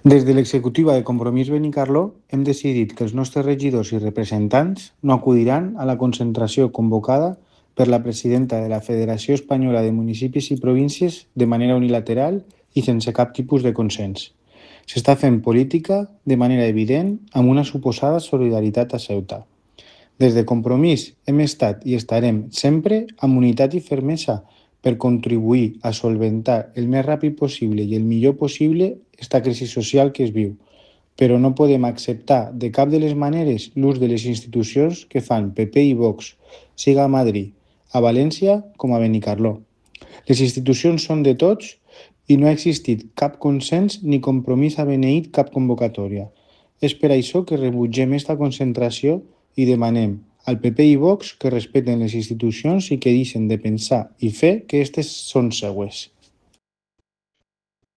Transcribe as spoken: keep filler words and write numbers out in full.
Des de l'executiva de Compromís Benicarló hem decidit que els nostres regidors i representants no acudiran a la concentració convocada per la presidenta de la Federació Espanyola de Municipis i Províncies de manera unilateral i sense cap tipus de consens. S'està fent política de manera evident amb una suposada solidaritat a Ceuta. Des de Compromís hem estat i estarem sempre amb unitat i fermesa per contribuir a solventar el més ràpid possible i el millor possible esta crisi social que es viu, però no podem acceptar de cap de les maneres l'ús de les institucions que fan P P i Vox, siga a Madrid, a València com a Benicarló. Les institucions són de tots i no ha existit cap consens ni compromís a beneir cap convocatòria. És per això que rebutgem esta concentració i demanem al P P i Vox que respeten les institucions i que deixen de pensar i fer que aquestes són seues.